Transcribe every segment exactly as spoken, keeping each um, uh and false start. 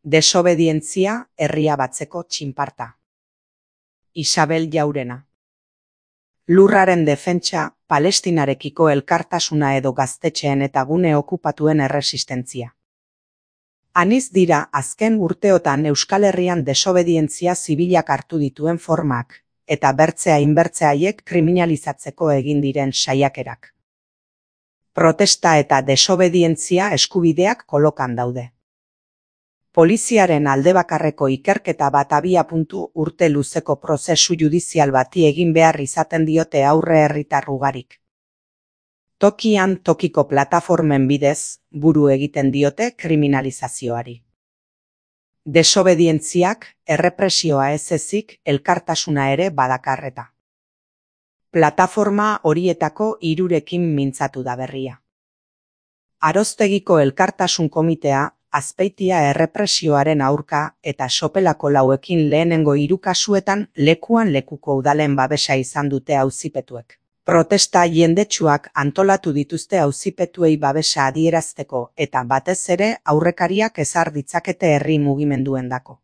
Desobedientzia herria batzeko txinparta. Isabel Jaurena. Lurraren defentsa, Palestinarekiko elkartasuna edo gaztetxeen eta gune okupatuen erresistentzia. Aniz dira azken urteotan Euskal Herrian desobedientzia zibilak hartu dituen formak, eta bertzea inbertzea haiek kriminalizatzeko egin diren saiakerak. Protesta eta desobedientzia eskubideak kolokan daude. Poliziaren aldebakarreko ikerketa bat abia puntu urte luzeko prozesu judizial bati egin behar izaten diote aurre herritar ugarik. Tokian tokiko plataformen bidez, buru egiten diote kriminalizazioari. Desobedientziak, errepresioa ez ezik, elkartasuna ere badakarreta. Plataforma horietako hirurekin mintzatu da berria. Aroztegiko elkartasun komitea, Azpeitia errepresioaren aurka eta sopelako lauekin lehenengo hiru kasuetan lekuan lekuko udalen babesa izan dute auzipetuek. Protesta jendetsuak antolatu dituzte auzipetuei babesa adierazteko eta batez ere aurrekariak ezar ditzakete herri mugimenduendako.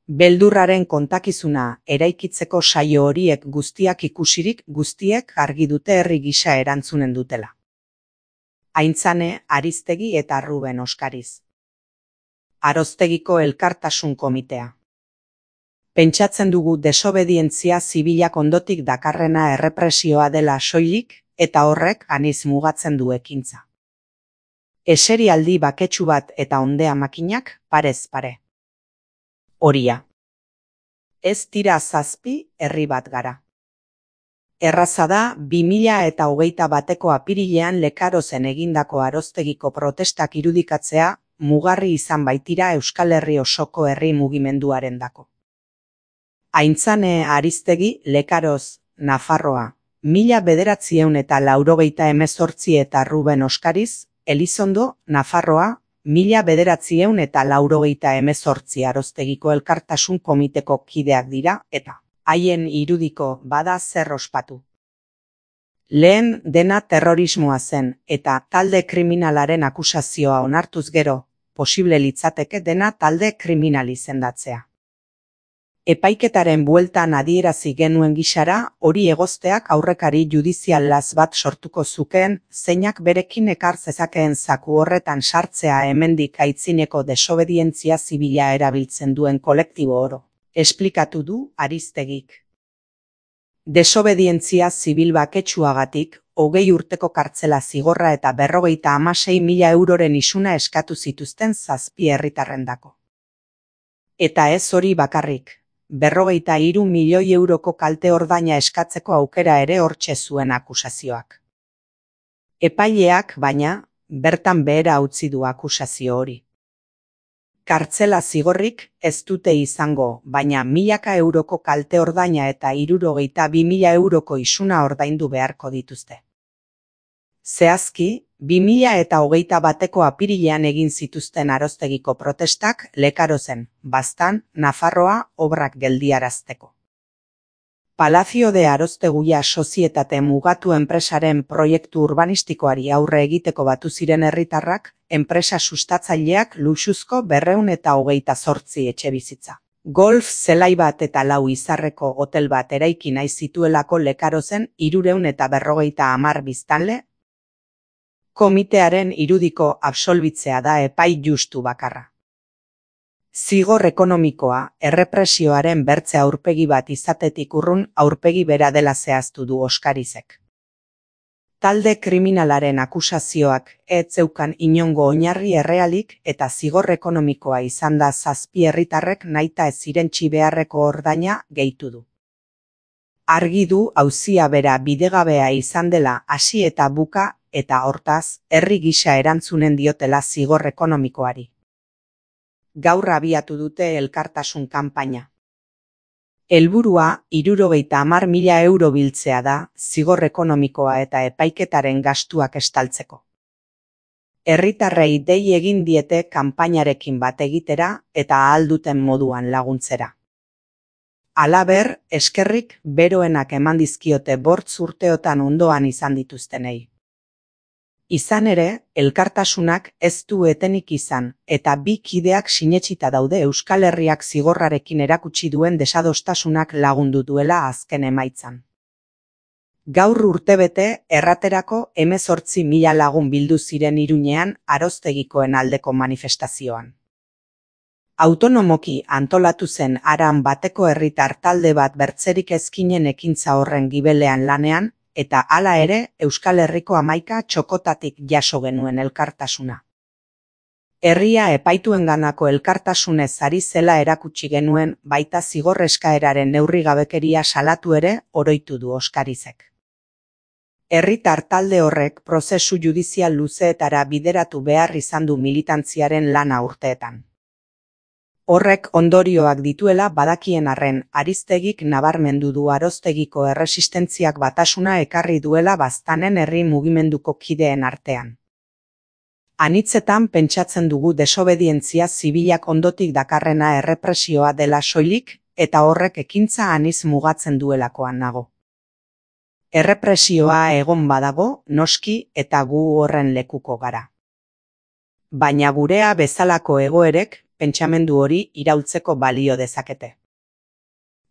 Beldurraren kontakizuna eraikitzeko saio horiek guztiak ikusirik guztiek argi dute herri gisa erantzunen dutela. Aintzane, Aristegi eta Ruben Oskariz. Aroztegiko elkartasun komitea. Pentsatzen dugu desobedientzia zibilak ondotik dakarrena errepresioa dela soilik eta horrek aniz mugatzen du ekintza. Eserialdi baketsu bat eta ondea makinak parez pare. Horia. Ez tira zazpi herri bat gara. Erraza da bi mila eta hogeita bateko apirilean Lekarozen egindako Aroztegiko protestak irudikatzea mugarri izan baitira Euskal Herri osoko herri mugimenduarendako. Aintzane Aristegi, Lekaroz, Nafarroa, mila bederatziehun eta laurogeita hemezortzi eta Ruben Oskariz, Elizondo, Nafarroa, mila bederatziehun eta laurogeita hemezortzi Aroztegiko elkartasun komiteko kideak dira eta haien irudiko bada zer ospatu. Lehen dena terrorismoa zen eta talde kriminalaren akusazioa onartuz gero, posible litzateke dena talde kriminal izendatzea. Epaiketaren bueltan adierazi genuen gisara, hori egozteak aurrekari judizial laz bat sortuko zukeen, zeinak berekin ekar zezakeen zaku horretan sartzea hemendik aitzineko desobedientzia zibila erabiltzen duen kolektibo oro. Esplikatu du Aristegik. Desobedientzia zibil baketsuagatik, hogei urteko kartzela zigorra eta berrogeita hamasei mila euroren isuna eskatu zituzten zazpi herritarrendako. Eta ez hori bakarrik, berrogeita hiru milioi euroko kalte ordaina eskatzeko aukera ere hortxe zuen akusazioak. Epaileak, baina, bertan behera utzi du akusazio hori. Kartzela zigorrik ez dute izango, baina milaka euroko kalte ordaina eta hirurogeita bi mila euroko isuna ordaindu beharko dituzte. Zehazki, bi mila eta hogeita bateko apirilean egin zituzten Aroztegiko protestak Lekarozen, Baztan, Nafarroa obrak geldiarazteko. Palacio de Arozteguia sozietate mugatu enpresaren proiektu urbanistikoari aurre egiteko batu ziren herritarrak, enpresa sustatzaileak luxuzko berrehun eta hogeita zortzi etxebizitza. Golf zelai bat eta lau izarreko hotel bat eraiki nahi zituelako Lekarozen hirurehun eta berrogeita hamar biztanle. Komitearen irudiko absolbitzea da epai justu bakarra. Zigor ekonomikoa, errepresioaren bertze aurpegi bat izatetik urrun aurpegi bera dela zehaztu du Oskarizek. Talde kriminalaren akusazioak ez zeukan inongo oinarri errealik eta zigor ekonomikoa izan da zazpi herritarrek nahita ez irentsi beharreko ordaina gehitu du. Argi du auzia bera bidegabea izan dela hasi eta buka eta hortaz herri gisa erantzunen diotela zigor ekonomikoari. Gaur abiatu dute elkartasun kanpaina. Helburua hirurogeita hamar mila euro biltzea da zigor ekonomikoa eta epaiketaren gastuak estaltzeko. Herritarrei dei egin diete kanpainarekin bat egitera eta ahal duten moduan laguntzera. Halaber, eskerrik beroenak eman dizkiote bortz urteotan ondoan izan dituztenei. Izan ere, elkartasunak ez du etenik izan, eta bi kideak sinetsita daude Euskal Herriak zigorrarekin erakutsi duen desadostasunak lagundu duela azken emaitzan. Gaur urtebete, erraterako hemezortzi mila lagun bildu ziren Iruñean Aroztegikoen aldeko manifestazioan. Autonomoki antolatu zen haran bateko herritar talde bat bertzerik ezkinen ekintza horren gibelean lanean, eta hala ere Euskal Herriko hamaika txokotatik jaso genuen elkartasuna. Herria epaituenganako elkartasunez ari zela erakutsi genuen, baita zigor eskaeraren neurrigabekeria salatu ere oroitu du Oskarizek. Herritar talde horrek prozesu judizial luzeetara bideratu behar izan du militantziaren lana urteetan. Horrek ondorioak dituela badakien arren, Ariztegik nabarmendu du Aroztegiko erresistentziak batasuna ekarri duela baztanen herri mugimenduko kideen artean. Anitzetan pentsatzen dugu desobedientzia zibilak ondotik dakarrena errepresioa dela soilik, eta horrek ekintza aniz mugatzen duelakoan nago. Errepresioa egon badago, noski, eta gu horren lekuko gara. Baina gurea bezalako egoerek, pentsamendu hori iraultzeko balio dezakete.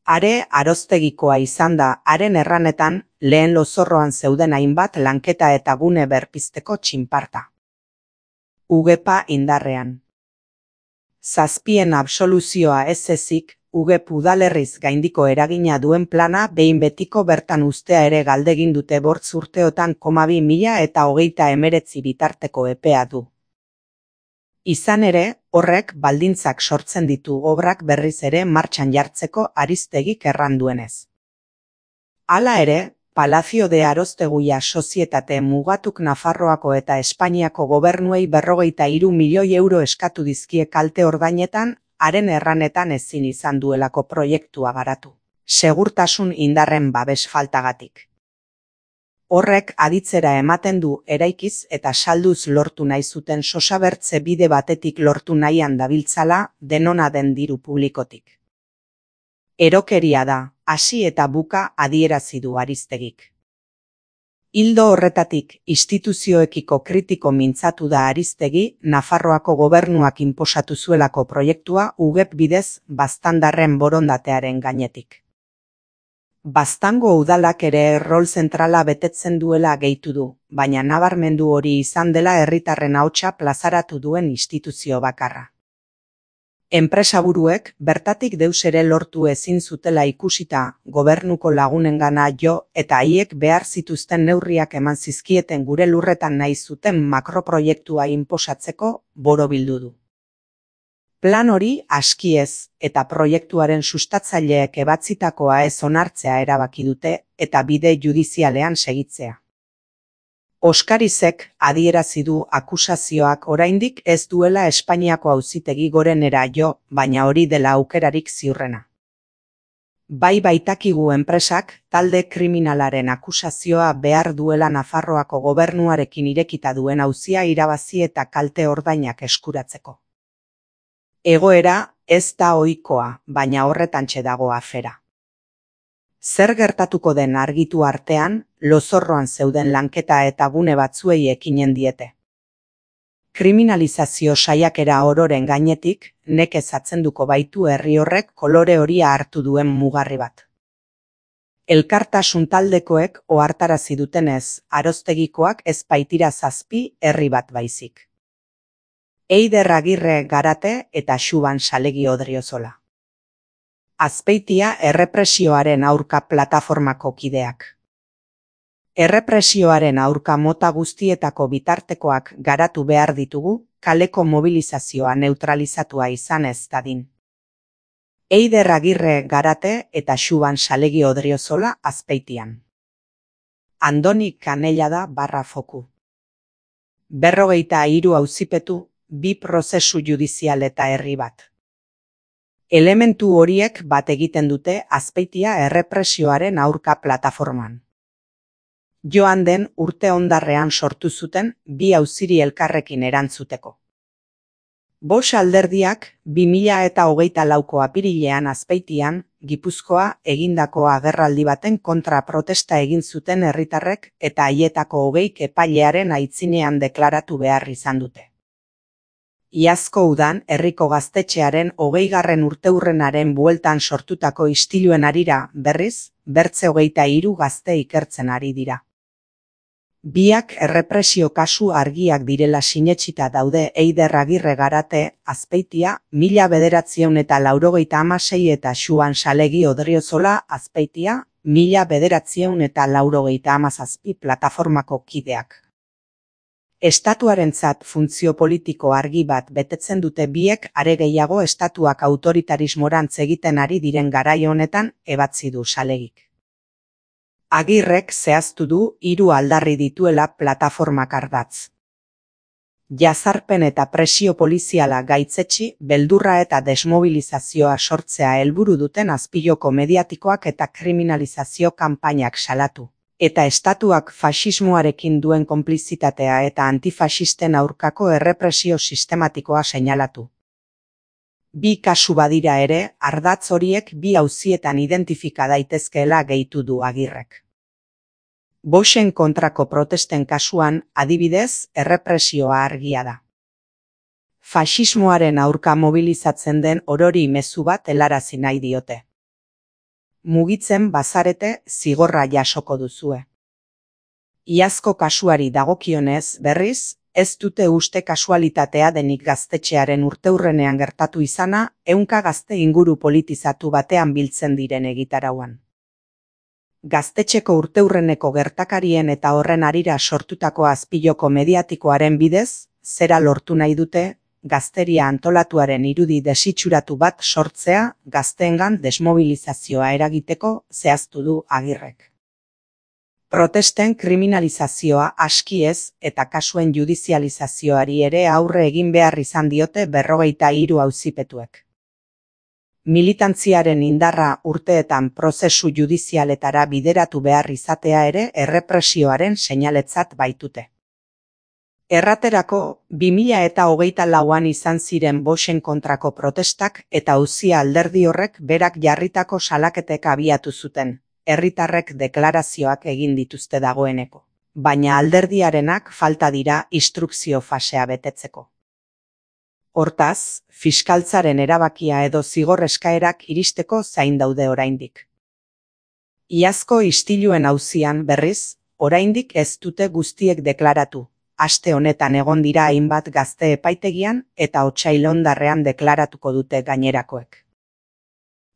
Are Aroztegikoa izan da, haren erranetan, lehen lozorroan zeuden hainbat lanketa eta gune berpizteko txinparta. Ugepa indarrean. Zazpien absoluzioa ez ezik, Ugep udalerriz gaindiko eragina duen plana behin betiko bertan ustea ere galdegin dute bortz urteotan koma bi mila eta hogeita emeretzi bitarteko epea du. Izan ere, horrek baldintzak sortzen ditu obrak berriz ere martxan jartzeko Ariztegik erran duenez. Hala ere, Palacio de Arosteguia sozietate mugatuk Nafarroako eta Espainiako gobernuei berrogeita hiru milioi euro eskatu dizkie kalte ordainetan, haren erranetan ezin izan duelako proiektua garatu. Segurtasun indarren babes faltagatik. Horrek aditzera ematen du eraikiz eta salduz lortu nahi zuten sosabertze bide batetik lortu nahian dabiltzala denona den diru publikotik. Erokeria da, hasi eta buka adierazi du Ariztegik. Ildo horretatik, instituzioekiko kritiko mintzatu da Ariztegi, Nafarroako gobernuak inposatu zuelako proiektua Ugep bidez baztandarren borondatearen gainetik. Baztango udalak ere rol zentrala betetzen duela gehitu du, baina nabarmendu hori izan dela herritarren ahotsa plazaratu duen instituzio bakarra. Enpresaburuek bertatik deus ere lortu ezin zutela ikusita gobernuko lagunengana jo eta haiek behar zituzten neurriak eman zizkieten gure lurretan nahi zuten makroproiektua inposatzeko borobildu du. Plan hori aski ez eta proiektuaren sustatzaileek ebatzitakoa ez onartzea erabaki dute eta bide judizialean segitzea. Oskarizek adierazi du akusazioak oraindik ez duela Espainiako auzitegi gorenera jo, baina hori dela aukerarik ziurrena. Bai baitakigu enpresak talde kriminalaren akusazioa behar duela Nafarroako gobernuarekin irekita duen auzia irabazi eta kalte ordainak eskuratzeko. Egoera ez da ohikoa, baina horretantxe dago afera. Zer gertatuko den argitu artean, lozorroan zeuden lanketa eta gune batzuei ekinen diete. Kriminalizazio saiakera ororen gainetik, nekez atzenduko baitu herri horrek kolore horia hartu duen mugarri bat. Elkartasun taldekoek ohartarazi dutenez, Aroztegikoak ez baitira zazpi herri bat baizik. Eider Agirre Garate eta Xuban Salegi Odriozola. Azpeitia errepresioaren aurka plataformako kideak. Errepresioaren aurka mota guztietako bitartekoak garatu behar ditugu, kaleko mobilizazioa neutralizatua izan ez dadin. Eider Agirre Garate eta Xuban Salegi Odriozola Azpeitian. Andoni Kanellada barra foku. Berrogeita hiru auzipetu, bi prozesu judizial eta herri bat. Elementu horiek bat egiten dute Azpeitia errepresioaren aurka plataforman. Joan den urte ondarrean sortu zuten bi auziri elkarrekin erantzuteko. Bost alderdiak bi mila eta hogeita lauko apirilean Azpeitian Gipuzkoa egindako agerraldi baten kontra protesta egin zuten herritarrek eta haietako hogeik epailearen aitzinean deklaratu behar izan dute. Iazko udan herriko gaztetxearen hogeigarren urteurrenaren bueltan sortutako istiluen harira, berriz, bertze hogeita hiru gazte ikertzen ari dira. Biak errepresio kasu argiak direla sinetsita daude Eider Agirre Garate, Azpeitia, mila bederatziehun eta laurogeita hamasei eta Xuan Salegi Odriozola, Azpeitia, mila bederatziehun eta laurogeita hamazazpi plataformako kideak. Estatuarentzat funtzio politiko argi bat betetzen dute biek, are gehiago estatuak autoritarismorantz egiten ari diren garai honetan, ebatzi du Salegik. Agirrek zehaztu du hiru aldarri dituela plataformak ardatz. Jazarpen eta presio poliziala gaitzetsi, beldurra eta desmobilizazioa sortzea helburu duten azpiloko mediatikoak eta kriminalizazio kanpainak salatu. Eta estatuak faxismoarekin duen konplizitatea eta antifaxisten aurkako errepresio sistematikoa seinalatu. Bi kasu badira ere, ardatz horiek bi auzietan identifika daitezkeela gehitu du Agirrek. Boxen kontrako protesten kasuan, adibidez, errepresioa argia da. Faxismoaren aurka mobilizatzen den orori mezu bat helarazi nahi diote. Mugitzen bazarete, zigorra jasoko duzue. Iazko kasuari dagokionez, berriz, ez dute uste kasualitatea denik gaztetxearen urteurrenean gertatu izana, ehunka gazte inguru politizatu batean biltzen diren egitarauan. Gaztetxeko urteurreneko gertakarien eta horren harira sortutako azpiloko mediatikoaren bidez, zera lortu nahi dute, gazteria antolatuaren irudi desitxuratu bat sortzea, gazteengan desmobilizazioa eragiteko zehaztu du Agirrek. Protesten kriminalizazioa aski ez eta kasuen judizializazioari ere aurre egin behar izan diote berrogeita hiru auzipetuek. Militantziaren indarra urteetan prozesu judizialetara bideratu behar izatea ere errepresioaren seinaletzat baitute. Erraterako, bi mila eta hogeita lauan izan ziren Boxen kontrako protestak eta auzia alderdi horrek berak jarritako salaketek abiatu zuten, herritarrek deklarazioak egin dituzte dagoeneko, baina alderdiarenak falta dira instrukzio fasea betetzeko. Hortaz, fiskaltzaren erabakia edo zigor eskaerak iristeko zain daude oraindik. Iazko istiluen auzian berriz, oraindik ez dute guztiek deklaratu. Aste honetan egon dira hainbat gazte epaitegian eta otsail hondarrean deklaratuko dute gainerakoek.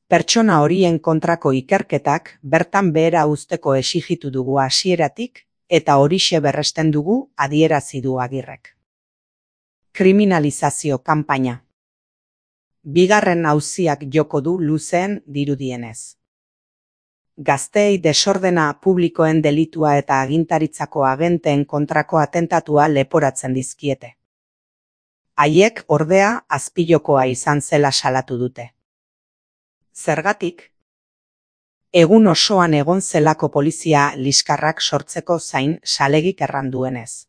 Pertsona horien kontrako ikerketak bertan behera uzteko exijitu dugu hasieratik eta horixe berresten dugu adierazi du Agirrek. Kriminalizazio kanpaina. Bigarren auziak joko du luzeen dirudienez. Gazteei desordena publikoen delitua eta agintaritzako agenteen kontrako atentatua leporatzen dizkiete. Haiek ordea azpilokoa izan zela salatu dute. Zergatik? Egun osoan egon zelako polizia liskarrak sortzeko zain Salegik erranduenez.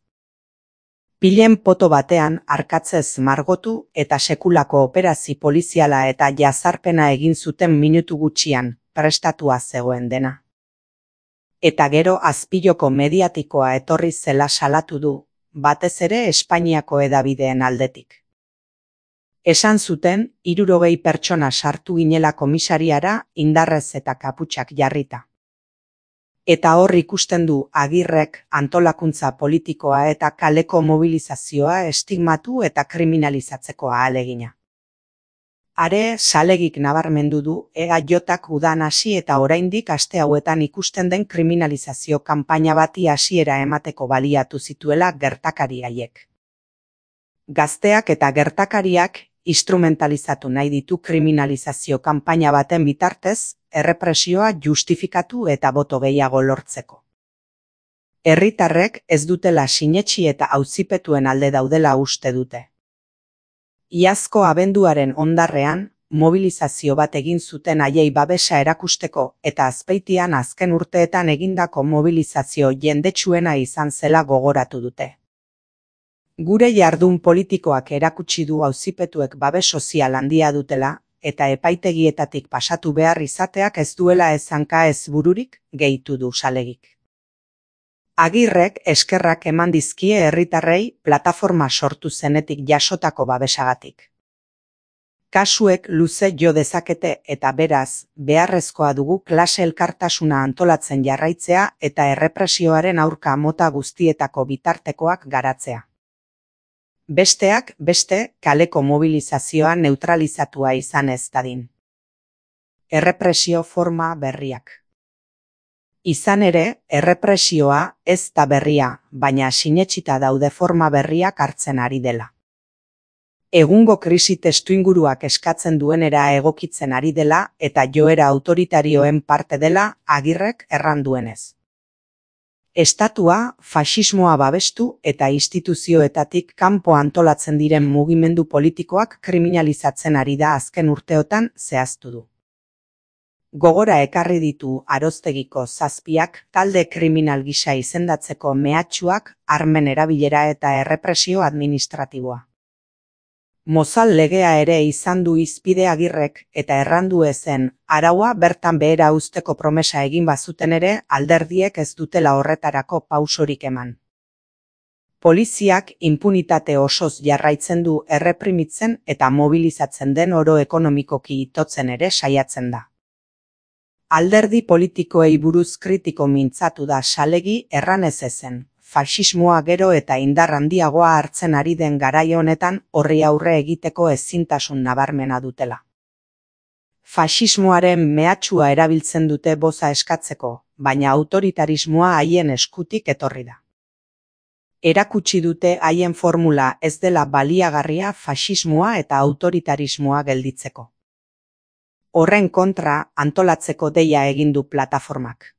Pilen poto batean arkatzez margotu eta sekulako operazi poliziala eta jazarpena egin zuten minutu gutxian, prestatua zegoen dena. Eta gero azpiloko mediatikoa etorri zela salatu du, batez ere Espainiako hedabideen aldetik. Esan zuten, hirurogei pertsona sartu ginela komisariara indarrez eta kaputxak jarrita. Eta hor ikusten du Agirrek antolakuntza politikoa eta kaleko mobilizazioa estigmatu eta kriminalizatzeko ahalegina. Are, Salegik nabarmendu du E A Jak udan hasi eta oraindik aste hauetan ikusten den kriminalizazio kanpaina bati hasiera emateko baliatu zituela gertakari haiek. Gazteak eta gertakariak instrumentalizatu nahi ditu kriminalizazio kanpaina baten bitartez, errepresioa justifikatu eta boto gehiago lortzeko. Herritarrek ez dutela sinetsi eta auzipetuen alde daudela uste dute. Iazko abenduaren hondarrean, mobilizazio bat egin zuten haiei babesa erakusteko eta Azpeitian azken urteetan egindako mobilizazio jendetsuena izan zela gogoratu dute. Gure jardun politikoak erakutsi du auzipetuek babes sozial handia dutela, eta epaitegietatik pasatu behar izateak ez duela ez hanka ez bururik, gehitu du Salegik. Agirrek eskerrak eman dizkie herritarrei plataforma sortu zenetik jasotako babesagatik. Kasuek luze jo dezakete eta beraz, beharrezkoa dugu klase elkartasuna antolatzen jarraitzea eta errepresioaren aurka mota guztietako bitartekoak garatzea. Besteak, beste, kaleko mobilizazioa neutralizatua izan ez dadin. Errepresio forma berriak. Izan ere, errepresioa ez da berria, baina sinetsita daude forma berriak hartzen ari dela. Egungo krisi testuinguruak eskatzen duenera egokitzen ari dela eta joera autoritarioen parte dela Agirrek erran duenez. Estatua, faxismoa babestu eta instituzioetatik kanpo antolatzen diren mugimendu politikoak kriminalizatzen ari da azken urteotan zehaztu du. Gogora ekarri ditu Aroztegiko zazpiak talde kriminal gisa izendatzeko mehatxuak, armen erabilera eta errepresio administratiboa. Mozal legea ere izan du hizpide Agirrek eta errandu ezen araua bertan behera uzteko promesa egin bazuten ere alderdiek ez dutela horretarako pausorik eman. Poliziak inpunitate osoz jarraitzen du erreprimitzen eta mobilizatzen den oro ekonomikoki itotzen ere saiatzen da. Alderdi politikoei buruz kritiko mintzatu da Salegi erranez ezen. Faxismoa gero eta indar handiagoa hartzen ari den garai honetan horri aurre egiteko ezintasun nabarmena dutela. Faxismoaren mehatxua erabiltzen dute boza eskatzeko, baina autoritarismoa haien eskutik etorri da. Erakutsi dute haien formula ez dela baliagarria faxismoa eta autoritarismoa gelditzeko. Horren kontra antolatzeko deia egin du plataformak.